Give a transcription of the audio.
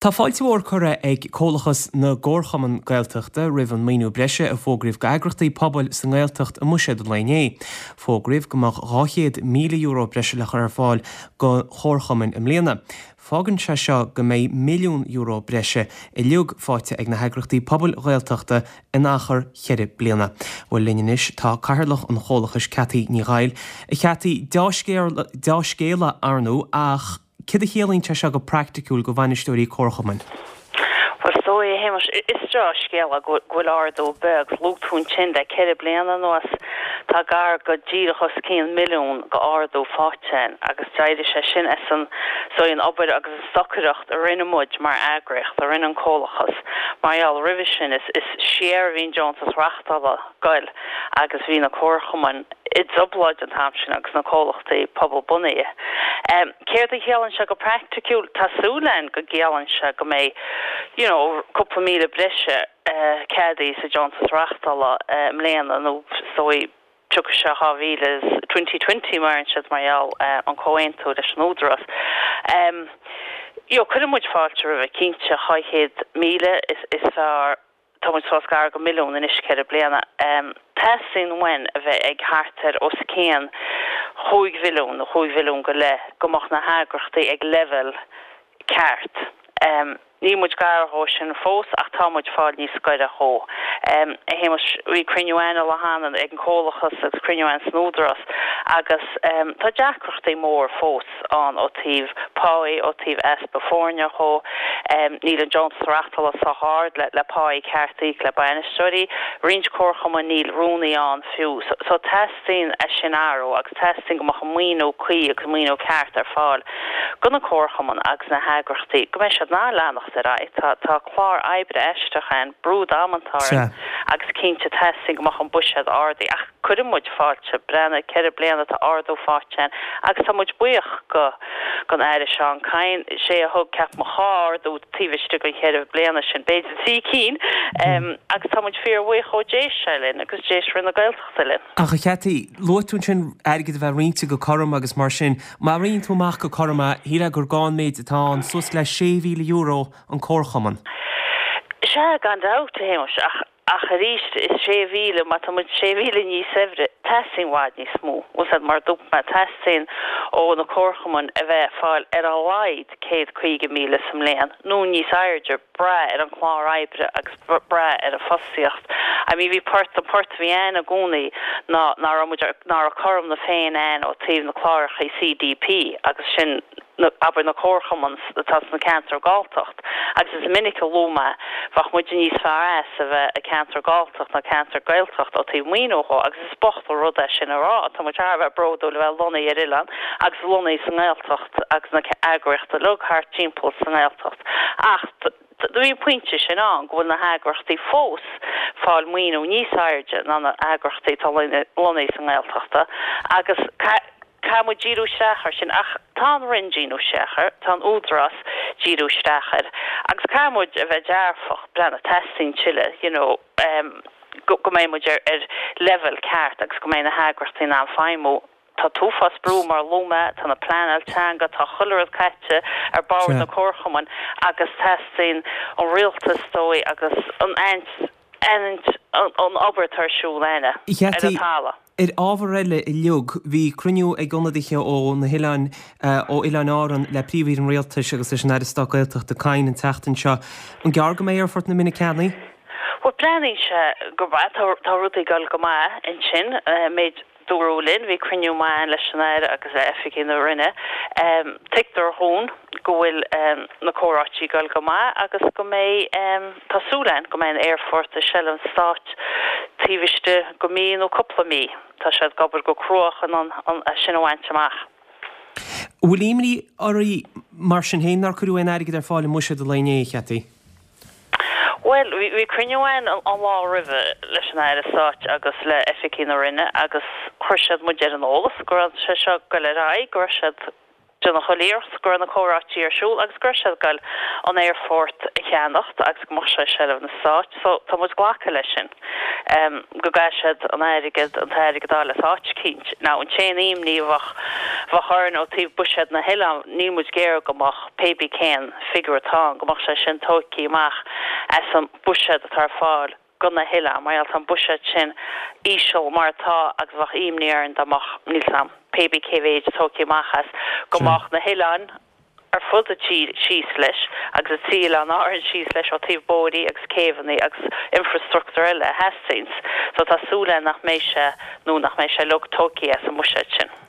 Tá fáilte mhór curtha ag Comhlachas na gComharchumann Gaeltachta roimh an maoiniú breise a fógraíodh d'eagrachtaí pobail sa nGaeltacht i mBuiséad an lae inné. Fógraíodh go mbeadh €200,000 breise le chur ar fáil do chomharchumainn i mbliana. Fágann sé seo go mbeidh €1,000,000 breise uilig faighte ag na heagrachtaí pobail Ghaeltachta in achar cheithre bliana. Bhuel linn anois tá Cathaoirleach an Chomhlachais, Ceaití Ní Dhaill. A Cheaití, deá-scéala ar ndóigh ach Céard a chiallaíonn sé seo go praiticiúil do bhainisteoirí comharchumainn? Bhuel, is dóigh, a Shéamais, is deá-scéala go bhfuil ardú beag, luaigh tú ansin le 4 bliana anuas, tá gar go díreach os cionn milliún go ardú faighte againn agus d'éirigh sé sin as an, is dóigh, an obair agus an stocaireacht a rinne muid mar eagraíocht, a rinne an Comhlachas, mar gheall roimhe sin is siar a bhí an deontas reachtála ag goil agus bhí na comharchumainn i dtrioblóid an t-am sin agus na comhlachtaí pobal bunaithe. Céard a chiallaíonn sé go praiticiúil? Tá súil againn go gciallaíonn sé go mbeidh you know cúpla míle breise ceadaithe sa deontas reachtála i mbliana nó is dóigh tiocfaidh sé 2000 is 2020 mar a deireann siad mar gheall an comhaontú leis an Údarás. You know cuireann muid fáilte roimhe cinnte 200,000 is fearr Tá muid fós gar go milliún anois 4 bliana. Teastaíonn uainn a bheith ag thart ar os cionn chúig mhilliún nó chúig mhilliún go leith go mbeadh na heagrachtaí ag leibhéal ceart. Níl muid gar dhó sin fós ach tá muid fáil níos gaire dhó. A Shéamais, bhí cruinniú againn an lá cheana ag an Comhlachas agus cruinniú againn san Údarás agus tá deacrachtaí mór fós. ann ó taobh páí, ó taobh easpa foirne dhó. Níl an deontas reachtála sách ard le páí ceart a íoc le bainisteoirí. Roinnt comharchumainn níl rúnaí ann fiú. So teastaíonn é sin a athrú agus teastaíonn go mbeadh an maoiniú cuí agus an maoiniú ceart ar fáil do na comharchumainn agus na heagrachtaí go mbeidh siad in ann leanacht ar aghaidh. Tá tá clár oibre aisteach ann, brú damanta orainn agus cinnte teastaíonn go mbeadh an buiséad ardaithe ach cuireann muid fáilte, breathnaigh, 4 bliana tá ardú faighte againn agus tá muid buíoch go gon Aire Seán Kyne, sé a thug, ceapaim, dhá ardú taobh istigh den cheithre bliana sin, b'fhéidir trí cinn, agus tá muid fíor bhuíoch dhó, d'éist sé linn agus d'éist Roinn na Gaeltachta linn. Ach a Cheaití, luaigh tú ansin airgead a bheith roinnte go cothrom agus mar sin, má roinneann tú amach go cothrom é, shílfeá gur gá an méid atá ann, suas le €6,000 an comharchumann. Sea, gan dabht, a Shéamais, ach Ach arís, is 6,000, má tá muid 6,000 níos saibhre, teastaíonn i bhfad níos mó. Bhfuil 's a'd, mar a dúirt mé, teastaíonn ó na comharchumainn a bheith ag fáil ar a laghad 150,000 sa mbliain, nó níos airde, brath ar an chlár oibre agus brath ar an fostaíocht. I mean, bhí port, an port a bhí ann i gcónaí ná ná raibh muid, ná raibh cothrom na Féinne ann ó taobh na cláracha CDP agus sin, na, abair, na comharchumainn atá sna ceantair Galltacht agus is minic a luaigh mé, bheadh muide níos fearr as a bheith i ceantar Galltacht ná ceantar Gaeltacht ó taobh maoiniú dhó agus is bocht an rud é sin a rá, tá muid thar a bheith bródúil a bheith lonnaithe ar oileán agus lonnaithe sa nGaeltacht agus na eagraíochtaí uilig thart timpeall sa nGaeltacht ach do bhí an pointe sin ann go bhfuil na heagrachtaí fós fáil maoiniú níos airde ná na heagrachtaí atá lonnaithe sa nGaeltachta agus caithfidh muid díriú isteach air sin ach tá an Roinn díriú isteach air, tá an Údarás díriú isteach air agus caithfidh muid a bheith dearfach, breathnaigh, teastaíonn tuilleadh you know go go mbeidh muid ar ar leibhéal ceart agus go mbeidh na heagrachtaí in ann feidhmiú. Tá t-uafás brú mar a luaigh mé, tá na pleanáil teanga, tá chuile rud caite ar bord na comharchumainn agus teastaíonn an rialtas is dóigh agus an aithint aithint an obair atá ar siúl againne ar an talamh. Ar ábhar eile uilig, bhí cruinniú ag ionadaithe ó na hoileáin, ó Oileáin Árann le Príomh-Aoire an Rialtais agus leis an Aire Stáit Gaeltachta Kyne an tseachtain seo. An gearr go mbeidh Aerfort na Minne ceannaithe? Bhuel, breathnaíonn sé go maith, tá rudaí ag dul go maith ansin, méid Dúradh linn, bhí cruinniú maith ann leis an Aire agus le oifigigh na Roinne. Tuigtear dhúinn go bhfuil na comhráití ag dul go maith agus go mbeidh, tá súil againn go mbeidh an aerfort i seilbh an Stáit taobh istigh go mí nó cúpla mí. Tá siad ag obair go crua chun é sin a bhaint amach. An bhfuil imní oraibh mar sin féin nár cuireadh aon airgead ar fáil i mbuiséad an lae inné, a Cheaití? Bhuel, bhí cruinniú againn an lá roimhe leis an Aire Stáit agus le oifigigh na Roinne agus chuir siad muid ar an eolas go raibh sé seo ag goil ar aghaidh, go raibh siad. Déanamh chuile iarracht go raibh na comhráití ar siúl agus go raibh siad ag goil an aerfort a cheannacht agus go mbeadh sé i seilbh na Stáit so tá muid glactha leis sin go gcaithfidh siad an airgead an t-airgead a fháil as áit eicínt. Now an t-aon imní a bheadh bheadh orainn ó taobh buiséad na hoileán níl muid ag iarraidh go mbeadh pé bí cén figiúr atá ann go mbeadh sé sin tóigthe amach as an buiséad atá ar fáil go na hoileáin, mar gheall tá an buiséad sin íseal mar atá agus bheadh imní orainn dá mbeadh, níl 's a'm, pé bí cé mhéid tógtha amach as, go mbeadh na hoileáin ar fud an tír síos leis agus an trí oileán Árann síos leis ó taobh bóithrí agus céibheanna agus infrastruchtúr eile a theastaíonns. So tá súil againn nach mbeidh sé, nó nach mbeidh sé uilig tógtha as an mbuiséad sin.